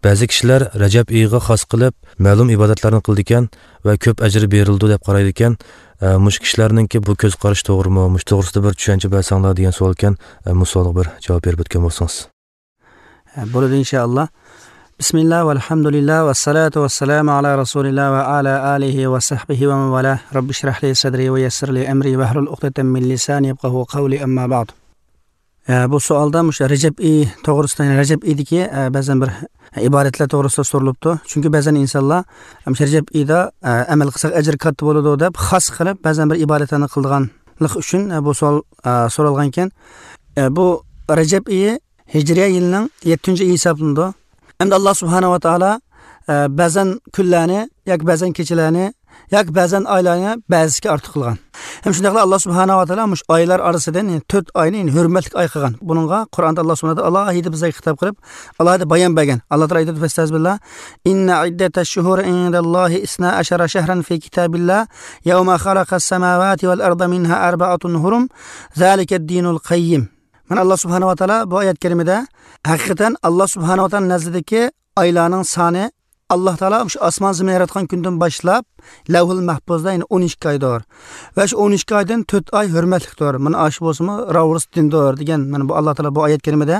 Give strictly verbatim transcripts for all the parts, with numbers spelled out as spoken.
Ba'zi kishilar Rajab oyiga xos qilib ma'lum ibodatlarni qildi ekan va ko'p ajr berildi deb qaraydi ekan. Mush kishilarninki bu ko'z qarash to'g'rimi? Mush to'g'risida bir tushuncha bersanglar degan savol ekan. Bu savolga bir javob berib o'tgan bo'lsangiz. Bo'ladi inshaalloh. Bismillah velhamdülillah ve salatu ve selamu ala Resulillah ve ala alihi ve sahbihi ve men valah. Rabbi şrah li sadri ve yessir li emri ve hlul uqdeten min lisani yefkahu qavli amma ba'd. Bu savolda mush Rajab oyi to'g'risida, ya'ni Rajab oyidagi ba'zan bir ibodatlar to'g'risida so'ralibdi. Chunki ba'zan insonlar mush Rajab oyida amal qilsak ajr katta bo'ladi deb xos qilib ba'zan bir ibodatlarni qilganlik uchun bu savol so'ralgan ekan. Bu Rajab oyi hijriya yilining yettinchi oyi hisoblanadi. Endi Alloh subhanahu va taolo ba'zan kunlarni yoki ba'zan kechalarni yoki ba'zan oylarni ba'zisiga ortiq qilgan. Ham shundaqla Alloh subhanahu va taolo mush oylar orasidan to'rt oyni yani hurmatli oy qilgan. Buningga Qur'onda Alloh subhanahu va taolo alohida bizga xitob qilib, alohida bayon bergan. Alloh taolo aytadi: "Fastazbillah inna iddatash shuhuri indallohi isna ashara shahran fi kitabillah yawma khalaqas samawati wal arda minha arba'atun hurum zalika ad-dinul qayyim." Mana Alloh subhanahu va taolo bu oyat karimida haqiqatan Alloh subhanahu va taolo nazdidagi oylarning soni Alloh taolo shu osmon zaminni yaratgan kundan boshlab lavhul mahfuzda ya'ni o'n ikki oydir. Va shu o'n ikki oydan to'rt oy hurmatlidir. Mana shu bo'lsa-mu Ravruz dindir degan mana bu Alloh taolo bu oyat karimida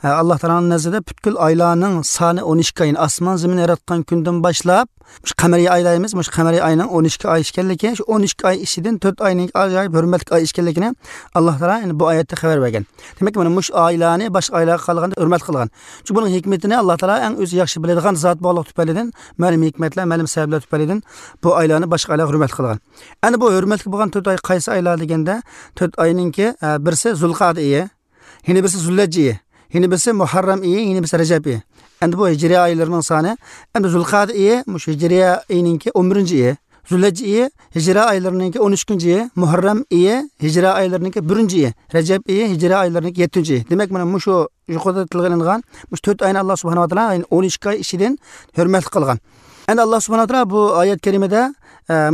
Alloh taoloning nazdida butkul oylarning soni o'n ikki oy, ya'ni osmon zaminni yaratgan kundan boshlab shu qamariy oylarimiz, shu qamariy oyning o'n ikki oy ekanligi, shu o'n ikki oy ichidan to'rt oyning ajoyib hurmatli oy ekanligini Alloh taolo ya'ni bu oyatda xabar bergan. Demak, mana mush oylarni boshqa oylarga qaraganda hurmat qilgan. Chunki buning hikmatini Alloh taolo eng o'zi yaxshi biladigan zot bo'lganligi tufaylidan, ma'lum hikmatlar, ma'lum sabablar tufaylidan bu oylarni boshqa oylarga hurmat qilgan. Ana bu hurmatli bo'lgan to'rt oy qaysi oylar deganda, to'rt oyninki birisi Zulqa'da oyi, yana birisi Zulhijja oyi, yana birisi Muharram oyi, yana birisi Rajab oyi. Endi bu hijriya oylarining soni, endi Zulqa'da oyi mush hijriya oyininki o'n birinchi oyi, Zulhijja oyi hijriya oylarininki o'n uchinchi oyi, Muharram oyi hijriya oylarininki birinchi oyi, Rajab oyi hijriya oylarininki yettinchi oyi. Demak, mana mushu yuqorida tilga ilingan mush to'rt oyni Alloh subhanahu va taolo ya'ni o'n ikki oy ichidan hurmat qilgan. Endi Alloh subhanahu va taolo bu oyat karimada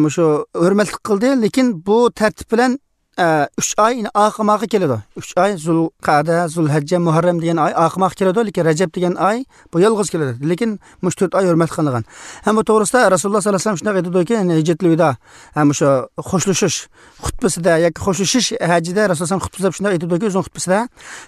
mushu hurmat qildi, lekin bu tartib bilan uch oy ya'ni oqimoqqa keladi. uch oy Zulqa'da, Zulhijja, Muharram degan oy oqimoqqa keladi, lekin Rajab degan oy bu yolg'iz keladi. Lekin mush to'rt oy hurmat qilingan. Ham bu to'g'risida Rasululloh sollallohu alayhi vasallam shunday aytadiki, ya'ni hijratul vido, ham o'sha xo'shlashish xutbasida yoki xo'shlashish hajida Rasululloh xutbasida shunday aytadiki, o'zining xutbasida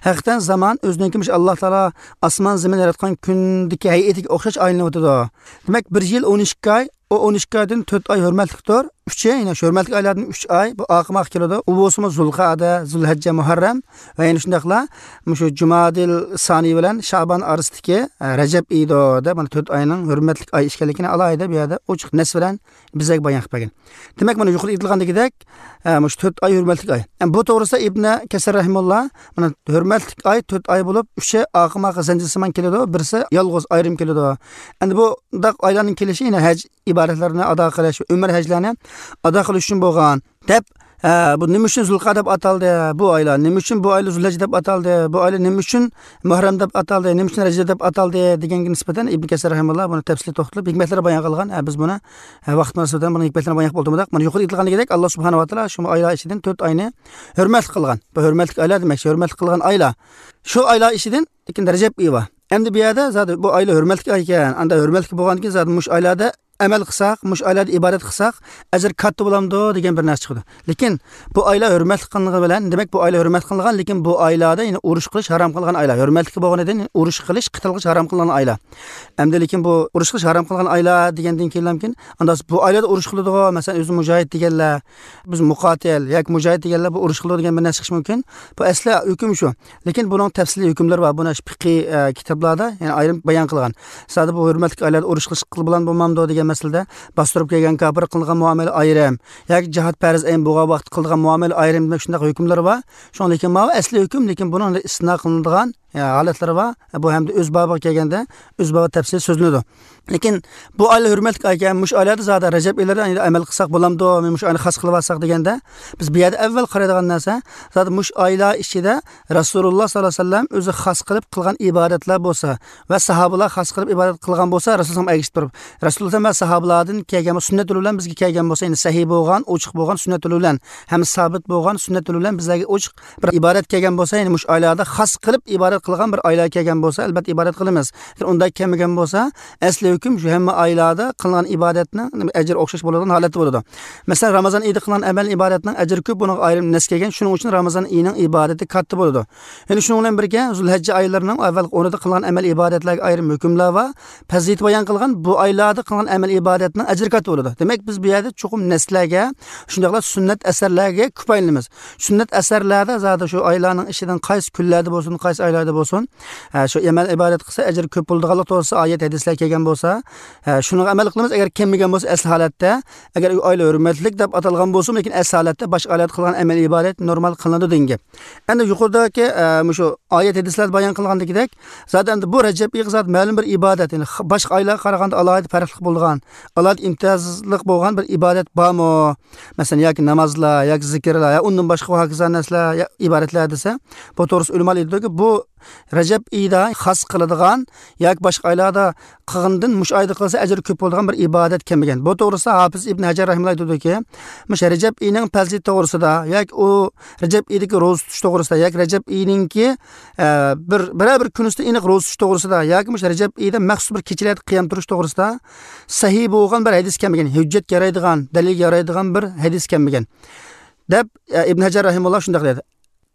haqiqatan zamon o'ziniki mush Alloh taolo osmon zamin yaratgan kundagi hay'atiga o'xshash aylanib o'tadi. Demak, bir yil o'n ikki oy, o o'n ikki oydan to'rt oy hurmatlidir. uch oy, ya'ni shu hurmatli oylardan uch oy bu oqimoq keladi. U bo'lsa Zulqa'da, Zulhijja, Muharram va yana shundaqla shu Jumadil Soniy bilan Sha'bon orasidagi Rajab oyida mana to'rt oyning hurmatli oy ekanligini alohida bu yerda ochiq nas bilan bizga bayon qilib bergan. Demak, mana yuqorida aytilgandagidek, shu to'rt oy hurmatli oy. Bu to'g'risida Ibn Kasir rahimulloh mana hurmatli oy to'rt oy bo'lib, uchi oqimoq zanjirsimon keladi, birisi yolg'iz ayrim keladi. Endi bu undaq oylarning kelishi yana haj ibodatlarini ado qilish, umr hajlarini ado qilish uchun bo'lgan deb, bu nima uchun Zulqa'da deb ataldi bu oylar, nima uchun bu oylar Zulhijja deb ataldi, bu oylar nima uchun Muharram deb ataldi, nima uchun Rajab deb ataldi deganga nisbatan Ibn Kasir rahimulloh buni tafsili to'xtalib hikmatlar bayon qilgan. Biz buni vaqt munosabatidan buni hikmatlarini bayon qilib o'tmadik. Mana yuqorida aytilganidek Alloh subhanahu va taolo shu oylar ichidan to'rt oyni hurmat qilgan. Bu hurmatli oylar demak, hurmat qilgan oylar. Shu oylar ichidan ikkinchi Rajab oyi bor. Endi bu yerda zot bu oylar hurmatli oy ekan. Anda hurmatli bo'lgandan keyin zot mush oylarda amal qilsak, mush oylarda ibodat qilsak, ajr katta bo'lamdi degan bir narsa chiqdi. Lekin bu oylar hurmatli qilingan bilan, demak bu oylar hurmat qilingan, lekin bu oylarda ya'ni urush qilish harom qilingan oylar. Hurmatli bo'lganidan urush qilish, qital qilish harom qilingan oylar. Endi lekin bu urush qilish harom qilingan oylar degandan keyin anda bu oylarda urush qiladigan, masalan, o'zi mujohid deganlar, biz muqotil yoki mujohid deganlar bu urush qiladi degan bir narsa chiqishi mumkin. Bu asli hukm shu. Lekin buning tafsiliy hukmlari bor. Buni fiqhiy kitoblarda, ya'ni ayrim bayon qilgan. Sada bu hurmatli oylarda urush qilish bilan bo'lmamdi degan masalada bostirib kelgan kofir qilgan muomala ayrim yoki jihad farz ayn bo'lgan vaqt qilgan muomala ayrim demak shunday hukmlar bor. Shunga lekin ma asli hukm, lekin buni istisno qilinadigan holatlar bor. Bu hamda o'z bobiga kelganda o'z bobi tafsil so'zlanadi. Lekin bu oylar hurmatli oy ekan, mush oylarda zada Rajab oylarida amal qilsak bo'lamdi, men mush oyni xos qilib olsak deganda biz bu yerda avval qaraydigan narsa zada mush oylar ichida Rasululloh sollallohu alayhi vasallam o'zi xos qilib qilgan ibodatlar bo'lsa va sahobalar xos qilib ibodat qilgan bo'lsa, Rasululloh ergishib turib, Rasululloh va sahobalardan kelgan sunnat yo'li bilan bizga kelgan bo'lsa, ya'ni sahih bo'lgan, ochiq bo'lgan sunnat yo'li bilan, ham sabit bo'lgan sunnat yo'li bilan bizlarga ochiq bir ibodat kelgan bo'lsa, ya'ni mush oylarda xos qilib ibodat ibodat qilgan bir oylar kelgan bo'lsa, albatta ibodat qilamiz. Unda kelmagan bo'lsa, asli hukm shu hamma oylarda qilingan ibodatning ajri o'xshash bo'ladigan holati bo'ladi. Masalan, Ramazon oyida qilingan amal ibodatning ajri ko'p, buni ayrim nas kelgan. Shuning uchun Ramazon oyining ibodati katta bo'ladi. Ya'ni shuning bilan birga Zulhajja oylarining avval o'rnida qilingan amal ibodatlarga ayrim hukmlar va fazilat bayon qilgan bu oylarda qilingan amal ibodatning ajri katta bo'ladi. Demak, biz bu yerda chuqur naslarga, shundaqla sunnat asarlarga ko'paylanamiz. Sunnat asarlarda zati shu oylarning ichidan qaysi kunlarda bo'lsin, qaysi oylarda bo'lsin, shu amal ibodat qilsa ajri ko'p bo'ladiganlik to'g'risida oyat hadislar kelgan bo'lsa, shunga amal qilamiz. Agar kelmagan bo'lsa, asl holatda, agar oylar hurmatlik deb atalgan bo'lsa, lekin asl holatda boshqa oylarda qilgan amal ibodat normal qilinadi degan gap. Endi yuqoridagi shu oyat hadislar bayon qilgandagidek, zaten bu Rajab oyi zat ma'lum bir ibodat, ya'ni boshqa oylarga qaraganda alohida farqli bo'lgan, alohida imtiyozli bo'lgan bir ibodat bormi? Masalan, yoki namozlar, yoki zikrlar, yo undan boshqa hokazo narsalar, ibodatlar desa, bu to'g'risida ulamolar aytadiki, bu Rajab oyida xos qiladigan yoki boshqa oylarda qilgandan mush oyda qilsa ajri ko'p bo'ladigan bir ibodat kelmagan. Bu to'g'risida Hofiz ibn Hajar rahimahulloh aytadiki, mush Rajab oyining fazilati to'g'risida yoki u Rajab oyidagi ro'za tutish to'g'risida yoki Rajab oyininki bir biror bir kunisida aniq ro'za tutish to'g'risida yoki mush Rajab oyida maxsus bir kechalarda qiyam turish to'g'risida sahih bo'lgan bir hadis kelmagan, hujjatga yaraydigan, dalilga yaraydigan bir hadis kelmagan deb Ibn Hajar rahimahulloh shunday dedi.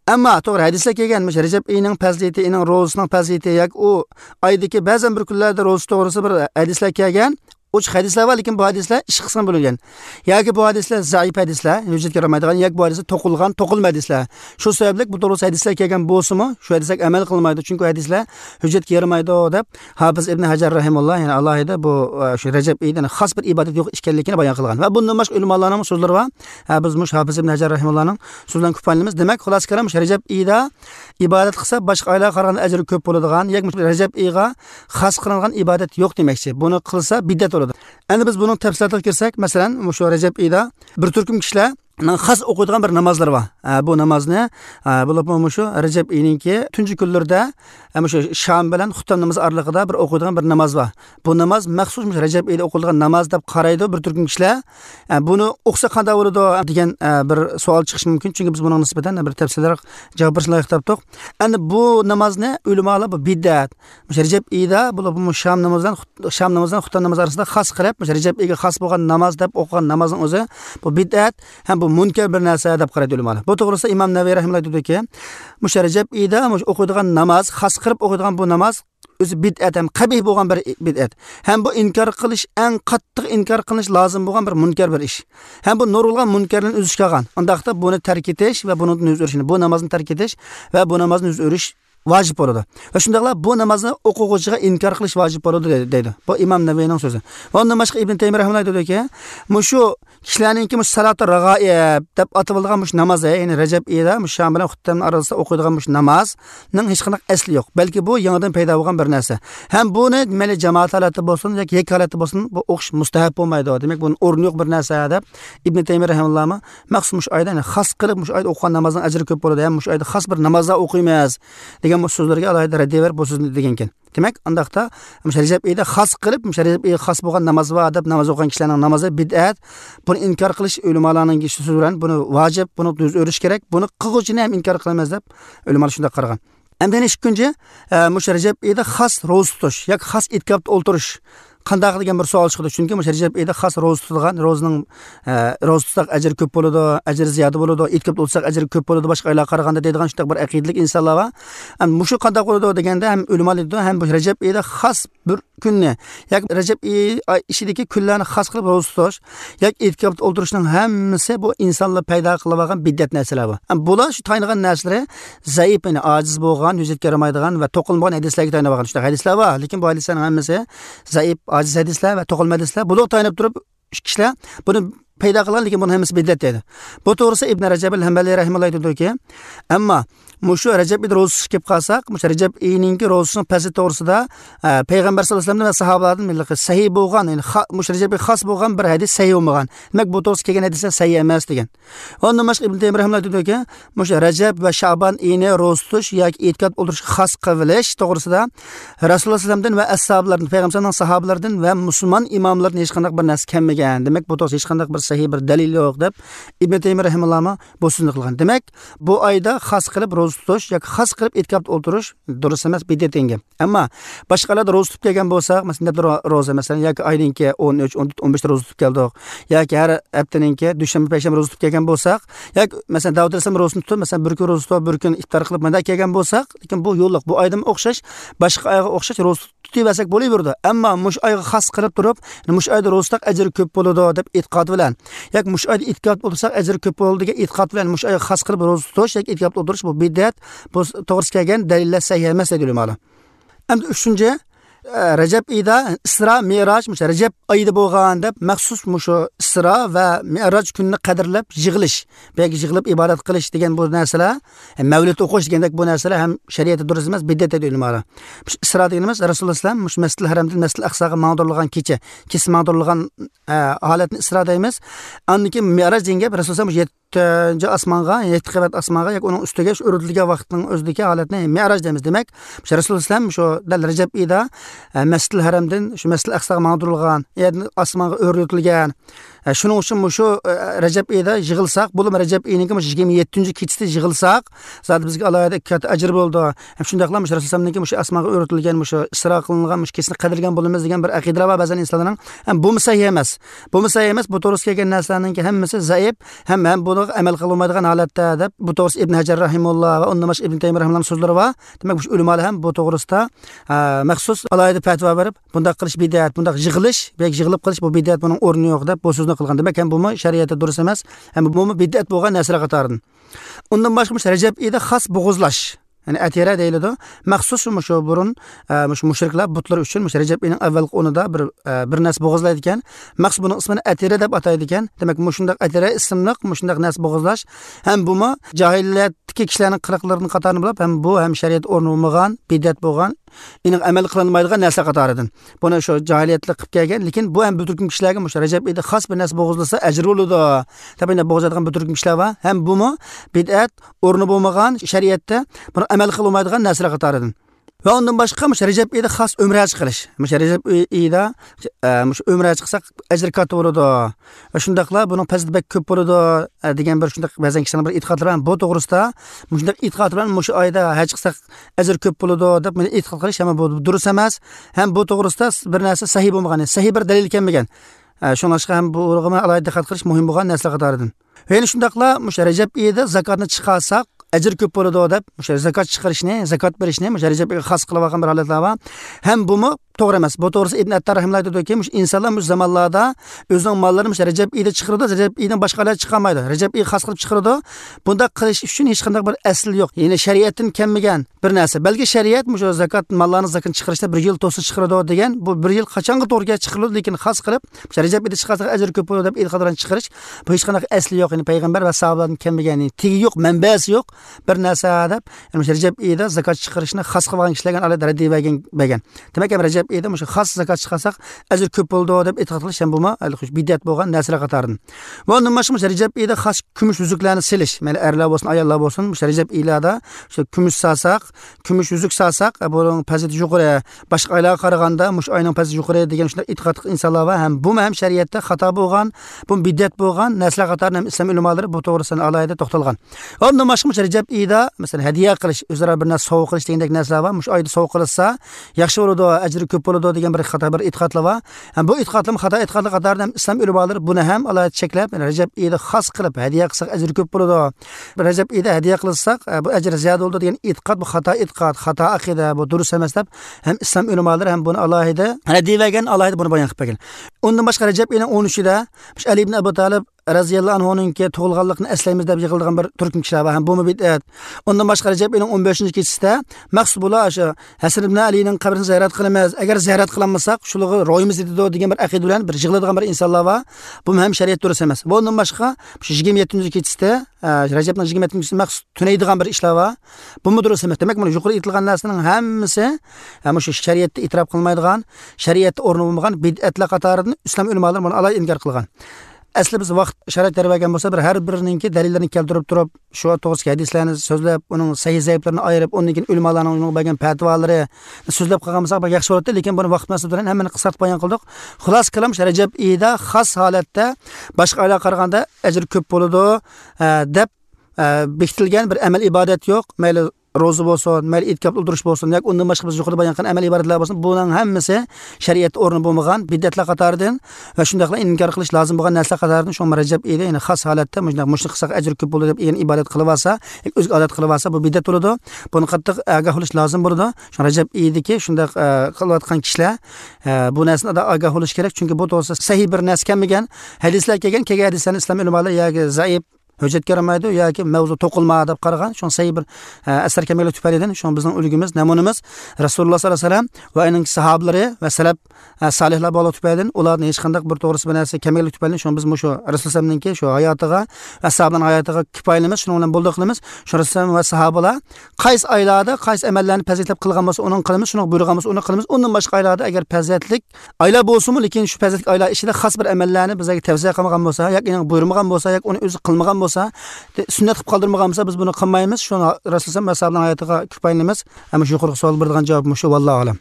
Ammo to'g'ri hadislar kelgan, mush Rajab oyining fazilati, ining ro'zasining fazilati yoki u oydagi ba'zan bir kunlarda ro'za to'g'risida bir hadislar kelgan. Uch hadislar bor, lekin bu hadislar ish qismi bo'lgan. Yoki bu hadislar zaif hadislar, hujjatga yaramaydigan, yoki bu hadislar to'qilgan, to'qilma hadislar. Shu sababli bu to'g'risida hadislar kelgan bo'lsa-mu, shu hadislarga amal qilmaydi, chunki hadislar hujjatga yaramaydi deb Hofiz ibn Hajar rahimahulloh, ya'ni alohida bu shu Rajab oyidan xos bir ibodat yo'q ekanligini bayon qilgan. Va bundan boshqa ulamolarning so'zlari bor. Ha, biz mush Hofiz ibn Hajar rahimahullohning so'zlaridan ko'paylanamiz. Demak, xulosa kalom, Rajab oyida ibodat qilsa boshqa oylarga qaraganda ajri ko'p bo'ladigan, yoki Rajab oyiga xos qilingan ibodat yo'q demakchi. Buni qilsa bid'at bo'ladi. Endi biz buning tafsilotiga kirsak, masalan, shu Rajab oyida bir turkum kishilar xos o'qiydigan bir namozlar bor. Bu namozni bo'lib shu Rajab oyininki tunji kunlarida shu shom bilan xutba namozi oralig'ida bir o'qiydigan bir namoz bor. Bu namoz maxsus Rajab oyida o'qiladigan namoz deb qaraydi bir turkum kishilar. Buni o'qisa qanday bo'ladi degan bir savol chiqishi mumkin, chunki biz buning nisbatan bir tafsilroq javob berishni loyiq topdik. Endi bu namozni ulamolar bu bid'at. Rajab oyida bo'lib shom namozidan shom namozidan xutba namozi orasida xos qilib Rajab oyiga xos bo'lgan namoz deb o'qigan namozning o'zi bu bid'at ham bu munkar bir narsa deb qaraydi ulamolar. Bu to'g'risida Imom Navaviy rahimahulloh aytadiki, mush Rajab oyida mush o'qiydigan namoz, xos qilib o'qiydigan bu namoz o'zi bid'at ham qabih bo'lgan bir bid'at. Ham bu inkor qilish eng qattiq inkor qilish lozim bo'lgan bir munkar bir ish. Ham bu nurulgan munkarni uzishga qolgan. Undaqda buni tark etish va buni yuz o'rishni, bu namozni tark etish va bu namozni yuz o'rish vojib bo'ladi. Va shundaqla bu namozni o'quvchiga inkor qilish vojib bo'ladi deydi. Bu Imom Navaviyning so'zi. Va undan boshqa Ibn Taymiy rahimahulloh aytadiki, mushu kishilarningki mush salatu rag'aib deb ataladigan mush namoz, ya'ni Rajab oyida mush shom bilan xutbaning orasida o'qiydigan mush namozning hech qanday asli yo'q. Balki bu yangidan paydo bo'lgan bir narsa. Ham buni mayli jamoat holati bo'lsin yoki yakka holati bo'lsin, bu o'qish mustahab bo'lmaydi. Demak, buning o'rni yo'q bir narsa deb Ibn Taymiy rahimahullohmi maxsus mush oyda, ya'ni xos qilib mush oyda o'qigan namozning ajri ko'p bo'ladi, ham mush oyda xos bir namozlar o'qiymiz degan bu so'zlarga alohida raddiya berib bu so'zni degan ekan. Demak, undaqda Rajab oyida xos qilib, Rajab oyida xos bo'lgan namoz va deb namoz o'qigan kishilarning namozi bid'at. Buni inkor qilish ulamolarning so'zi bilan buni vojib, buni yuz o'rish kerak, buni qilg'uvchini ham inkor qilamiz deb ulamolar shunday qaragan. Endi ikkinchi, mush Rajab oyida xos ro'za tutish yoki xos e'tikofda o'ltirish qanday degan bir savol chiqdi. Chunki mush Rajab oyida xos ro'za tutilgan, ro'zaning ro'za tutsak ajri ko'p bo'ladi, ajri ziyoda bo'ladi, e'tikofda o'lsak ajri ko'p bo'ladi boshqa oylarga qaraganda deydigan shunday bir aqidalik insonlar bor. Endi mushu qanday bo'ladi deganda ham ulamolar deydi, ham bu Rajab oyida xos bir kunni yoki Rajab oyi ichidagi kunlarni xos qilib ro'za tutish yoki e'tikofda o'ltirishning hammasi bu insonlar paydo qilib olgan bid'at narsalar bu. Endi bular shu tayinlagan narsalar zaif, ya'ni ojiz bo'lgan, hujjatga yaramaydigan va to'qilmagan hadislarga tayanib olgan shunday hadislar bor, lekin bu hadislarning hammasi zaif, aciz hadislar va to'qilma hadislar. Bular tayinib turib kishilar buni paydo qilgan, lekin buni hammasi bid'at deydi. Bu to'g'risida Ibn Rajab al-Hanbali rahimahulloh aytadiki, ammo mushu Rajab oyida ro'za tutishga kelib qolsak, mushu Rajab oyininki ro'zasining fazilati to'g'risida payg'ambar sollallohu alayhi vasallam va sahobalardan millati sahih bo'lgan, ya'ni mushu Rajabga xos bo'lgan bir hadis sahih bo'lmagan. Demak, bu to'g'risida kelgan hadislar sahih emas degan. Undan boshqa Ibn Taymiy rahimahulloh aytadiki, mushu Rajab va Sha'ban oyini ro'za tutish yoki e'tikof o'ldirish xos qilish to'g'risida Rasululloh sollallohu alayhi vasallamdan va ashablardan, payg'ambarning sahobalaridan va musulmon imomlardan hech qanday bir narsa kelmagan. Demak, bu to'g'risida hech qanday bir sahih bir dalil yo'q deb Ibn Taymiy rahimahulloh bu so'zni qilgan. Demak, bu oyda xos qilib ro'za ro'za tutish yoki xos qilib e'tikofda o'tirish durust emas, bid'at degan. Ammo boshqalarda ro'za tutib kelgan bo'lsak, masalan, ro'za masalan yoki oyninki o'n uch, o'n to'rt, o'n besh ro'za tutib keldik, yoki har haftaninki dushanba, payshanba ro'za tutib kelgan bo'lsak, yoki masalan Davud alayhissalom ro'zasini tutib, masalan bir kun ro'za tutib, bir kun iftor qilib mana kelgan bo'lsak, lekin bu yo'lliq, bu oydan o'xshash, boshqa oyga o'xshash ro'za tutaversak bo'laveradi. Ammo mush oyga xos qilib turib, mush oyda ro'za tutsak ajri ko'p bo'ladi deb e'tiqod bilan, yoki mush oyda e'tikof o'tirsak ajri ko'p bo'ladi degan e'tiqod bilan mush oyga xos qilib ro'za tutish yoki e'tikof o'tirish bu bid'at, bu to'g'risi kelgan dalillar sahih emas deydi ulamolar. Endi uchinchi, Rajab oyida Isro Mi'roj, mush Rajab oyida bo'lgan deb maxsus mushu Isro va Mi'roj kunini qadrlab yig'ilish, yoki yig'ilib ibodat qilish degan bu narsalar, mavlid o'qish degandek bu narsalar ham shariatda durust emas, bid'at deydi ulamolar. Isro deganimiz Rasululloh sallam mush Masjidil Haramdan Masjidil Aqsoga mangdirilgan kecha, kechasi mangdirilgan holatni Isro deymiz. Andan keyin Mi'roj degan gap Rasululloh sallam yettinchi osmonga, yetti qavat osmonga yoki uning ustiga shu o'ritilgan vaqtning o'zidagi holatni Mi'roj deymiz. Demak, Rasululloh sallam shu dal Rajab oyida Masjidil Haramdan shu Masjidil Aqsoga mangdirilgan, ya'ni osmonga o'ritilgan. Shuning uchun shu Rajab oyida yig'ilsak, bo'lib Rajab oyining yigirma yettinchi kechasida yig'ilsak, zot bizga alohida katta ajr bo'ldi. Ham shundaqla mush Rasulullohning mush osmonga o'ritilgan, mush Isro qilingan, mush kechasini qadrlagan bo'lamiz degan bir aqida bor ba'zan insonlarning. Ham bu sahih emas. Bu sahih emas. Bu to'g'risida kelgan narsalarning hammasi zaif, ham ham buni amal qilolmaydigan holatda deb bu to'g'risida Ibn Hajar rahimulloh va undan boshqa Ibn Taymiy rahimullohning so'zlari bor. Demak, bu ulamolar ham bu to'g'risida maxsus alohida fatvo berib, bundaq qilish bid'at, bundaq yig'ilish, yoki yig'ilib qilish bu bid'at, buning o'rni yo'q deb bu so'zni qilgan. Demak, ham bumi shariatda durust emas, ham bumi bid'at bo'lgan narsalar qatoridan. Undan boshqa Rajab oyida xos bo'g'izlash, ya'ni atira deyiladi. Maxsus shu burun shu mushriklar butlar uchun shu Rajab oyining avvalgi o'nida bir bir narsa bo'g'izlaydi ekan. Maxsus buning ismini atira deb ataydi ekan. Demak, mushundaq atira ismli mushundaq narsa bo'g'izlash ham bumi johiliyatdagi kishilarning qiliqlarining qatorini bilib, ham bu ham shariat o'rni bo'lmagan, bid'at bo'lgan, aniq amal qilinmaydigan narsa qatoridan. Buni shu johiliyatlik qilib kelgan, lekin bu ham bir turkum kishilarga shu Rajab oyida xos bir narsa bo'g'izlasa ajr bo'ladi. Tabiiy bo'g'izadigan bir turkum kishilar bor. Ham bumi bid'at o'rni bo'lmagan, shariatda buni amal qilolmaydigan narsalar qatoridan. Va undan boshqa mush Rajab oyida xos umra haj qilish. Mush Rajab oyida mush umra haj qilsak ajr katta bo'ladi. Va shundaqla buning fazilati bek ko'p bo'ladi degan bir shundaq ba'zan kishilarning bir e'tiqodlari bor. Bu to'g'risida mushundaq e'tiqod bilan mush oyda haj qilsak ajr ko'p bo'ladi deb buni e'tiqod qilish ham bu durust emas. Ham bu to'g'risida bir narsa sahih bo'lmagan, sahih bir dalil kelmagan. Shunga ham bu o'rg'ima alohida diqqat qilish muhim bo'lgan narsa qatoridan. Va yana shundaqla mush Rajab oyida zakotni chiqarsak ajr ko'p bo'ladi deb o'sha zakot chiqarishni, zakot berishni o'sha Rajab oyga xos qilib olgan bir holatlar bor. Ham bumi to'g'ri emas. Bu to'g'risi Ibn Attar rahimahulloh aytadiki, mush insonlar mush zamonlarda o'zining mollarini mush Rajab oyida chiqaradi, Rajab oyidan boshqalar chiqarmaydi. Rajab oyi xos qilib chiqaradi. Bunda qilish uchun hech qanday bir asl yo'q. Ya'ni shariatdan kelmagan bir narsa. Balki shariat mush zakot mollarni zakotini chiqarishda bir yil to'sa chiqaradi degan, bu bir yil qachonga to'g'ri kelib chiqariladi, lekin xos qilib mush Rajab oyida chiqarsa ajr ko'p bo'ladi deb e'tiqod bilan chiqarish bu hech qanday asli yo'q. Ya'ni payg'ambar va sahobalardan kelmagan, tegi yo'q, manbasi yo'q bir narsa deb, ya'ni Rajab oyida zakot chiqarishni xos qilgan kishilarga alohida raddiya bergan bergan. Demak, ham Rajab oyida o'sha xos zakot chiqarsak ajr ko'p bo'ldi deb e'tiqod qilish ham bumi bid'at bo'lgan narsalar qatoridan. Va undan boshqa Rajab oyida xos kumush yuzuklarni silish, mayli erlar bo'lsin, ayollar bo'lsin, o'sha Rajab oylarda o'sha kumush salsak, kumush yuzuk salsak, buning fazilati yuqori, boshqa oylarga qaraganda mush oyning fazilati yuqori degan shunday e'tiqod insonlar bor. Ham bu ham shariatda xato bo'lgan, bu bid'at bo'lgan narsalar qatoridan ham islom ulamolari bu to'g'risida alohida to'xtalgan. Va undan boshqa Rajab oyida masalan hadiya qilish, o'zaro bir narsa sovg'a qilish degandek narsalar bor. Mush oyda sovg'a qilsa yaxshi bo'ladi, ajri ko'p bo'ladi degan bir xato bir e'tiqodlar bor. Ham bu e'tiqodlar xato e'tiqodlar qatoridan islom ulamolari buni ham alohida cheklab, Rajab oyida xos qilib hadiya qilsak ajri ko'p bo'ladi. Rajab oyida hadiya qilsak bu ajr ziyoda bo'ladi degan e'tiqod bu xato e'tiqod, xato aqida, bu durust emas deb ham islom ulamolari ham buni alohida raddiya bergan, alohida buni bayon qilib bergan. Undan boshqa Rajab oyining o'n uchida Ali ibn Abu Talib radhiyallohu anhuning tug'ilganligini eslaymiz deb yig'ilgan bir turkum kishilar bor. Ham bu bid'at. Undan boshqa Rajab oyining o'n beshinchi kechasida maxsus bo'la o'sha Hasan ibn Alining qabrini ziyorat qilamiz. Agar ziyorat qilolmasak, shulig'i ro'yimiz etadi degan bir aqida bilan bir yig'iladigan bir insonlar bor. Bu ham shariat durust emas. Bundan boshqa shu yigirma yettinchi kechasida Rajabning yigirma yettinchisi maxsus tunaydigan bir ishlar bor. Bu durust emas. Demak, mana yuqori aytilgan narsaning hammasi ham shu shariatda e'tirof qilinmaydigan, shariatda o'rni bo'lmagan bid'atlar qatoridan islom ulamolari buni alohida inkor qilgan. Asli biz vaqt sharoit bergan bo'lsa, bir har birininki dalillarni keltirib turib, shu to'g'risidagi hadislarni so'zlab, uning sahih zaiflarini ayirib, undan keyin ulamolarning uning bergan fatvolari so'zlab qolgan bo'lsak, yaxshi bo'ladi, lekin buni vaqt masalasi bilan hammani qisqartib bayon qildik. Xulos kalam, Rajab oyida xos holatda boshqa oylarga qaraganda ajr ko'p bo'ladi deb Bekitilgan bir amal ibodat yo'q. Mayli ro'za bo'lsin, mayli e'tikof o'ldirish bo'lsin, yoki undan boshqa biz yuqorida bayon qilgan amal ibodatlar bo'lsin, buning hammasi shariat o'rni bo'lmagan bid'atlar qatoridan va shundaqla inkor qilish lozim bo'lgan narsa qatoridan. Shu Rajab oyida, ya'ni xos holatda mushundaq mushni qilsak ajr ko'p bo'ladi deb ya'ni ibodat qilib olsa, o'ziga odat qilib olsa, bu bid'at bo'ladi. Buni qattiq ogoh bo'lish lozim bo'ladi. Shu Rajab oyidagi shundaq qilayotgan kishilar bu narsani ogoh bo'lish kerak, chunki bu to'g'risida sahih bir narsa kelmagan. Hadislar kelgan, kelgan hadislarni islom ulamolari yoki zaif hujjat karamaydi yoki mavzu to'qilma deb qaragan. Shun sahiy bir asar kelmaganligi tufaylidan shun bizning ulgimiz, namunamiz Rasululloh sollallohu alayhi vasallam va uning sahobalari va salaf solihlar bo'lgan tufaylidan ularning hech qanday bir to'g'risi bir narsa kelmaganligi tufaylidan shun biz shu Rasulullohninki shu hayotiga va sahobalarning hayotiga kifoyalaymiz, shuning bilan bo'ldi qilamiz. Shu Rasululloh va sahobalar qaysi oylarda qaysi amallarni fazilatlab qilgan bo'lsa, uni qilamiz, shuni buyurgan bo'lsa, uni qilamiz. Undan boshqa oylarda agar fazilatlik oylar bo'lsin-mu, lekin shu fazilatli oylar ichida xos bir amallarni bizga tavsiya qilmagan bo'lsa, yoki buyurmagan bo'lsa, yoki uni o'zi qilmagan bo'lsa, sunnat qilib qoldirmagan bo'lsa, biz buni qilmaymiz. Shuni Rasululloh va sahobalarning hayotiga kifoyalaymiz. Ammo shu yuqorqi savol beradigan javob shu, vallohu alam.